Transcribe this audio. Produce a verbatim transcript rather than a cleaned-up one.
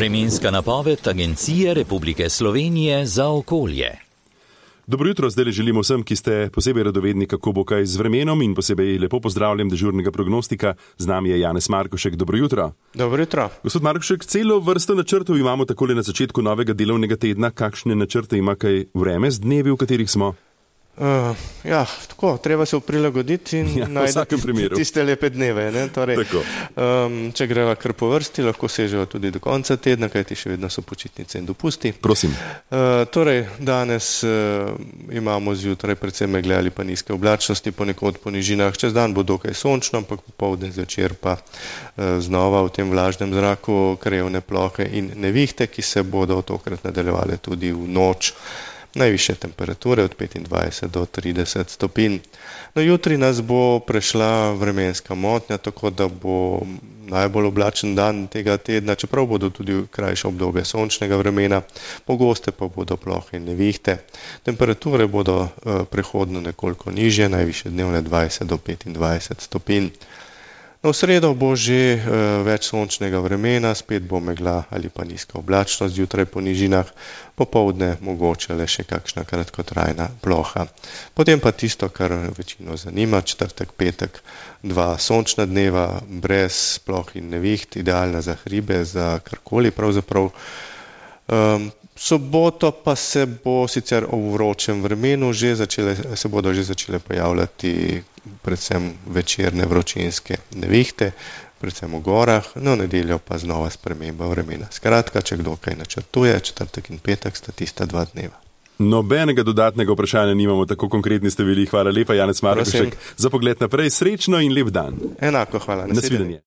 Vremenska napoved Agencije Republike Slovenije za okolje. Dobro jutro, zdaj le želimo vsem, ki ste posebej radovedni, kako bo kaj z vremenom, in posebej lepo pozdravljam dežurnega prognostika. Z nami je Janez Markovšek. Dobro jutro. Dobro jutro. Gospod Markovšek, celo vrsto načrtov imamo takole na začetku novega delovnega tedna. Kakšne načrte ima kaj vreme z dnevi, v katerih smo? Uh, ja, tako, treba se prilagoditi in ja, najti tiste lepe dneve. Ne? Torej, um, če greva kar po vrsti, lahko sežejo tudi do konca tedna, kajti še vedno so počitnice in dopusti. Prosim. Uh, torej, danes uh, imamo zjutraj predvsem megle ali pa nizke oblačnosti, ponekod po nižinah. Čez dan bo dokaj sončno, ampak popoldne zvečer pa uh, znova v tem vlažnem zraku krajevne plohe in nevihte, ki se bodo tokrat nadaljevale tudi v noč. Najvišje temperature od petindvajset do trideset stopinj. No, jutri nas bo prešla vremenska motnja, tako da bo najbolj oblačen dan tega tedna, čeprav bodo tudi krajše obdobje sončnega vremena, pogoste pa bodo plohe in nevihte. Temperature bodo eh, prehodno nekoliko nižje, najvišje dnevne dvajset do petindvajset stopinj. No, v sredo bo že uh, več sončnega vremena, spet bo megla ali pa nizka oblačnost zjutraj po nižinah, popoldne mogoče le še kakšna kratkotrajna ploha. Potem pa tisto, kar večino zanima, četrtek, petek, dva sončna dneva, brez ploh in neviht, idealna za hribe, za karkoli pravzaprav. Um, soboto pa se bo sicer v vročem vremenu že začele, se bodo že začele pojavljati predvsem večerne vročinske nevihte, predvsem v gorah, no nedeljo pa znova sprememba vremena. Skratka, če kdo kaj načrtuje, četrtek in petek sta tista dva dneva. Nobenega dodatnega vprašanja nimamo, tako konkretni ste bili. Hvala lepa, Janez Markovšek, za pogled naprej. Srečno in lep dan. Enako, hvala. Nasvidenje.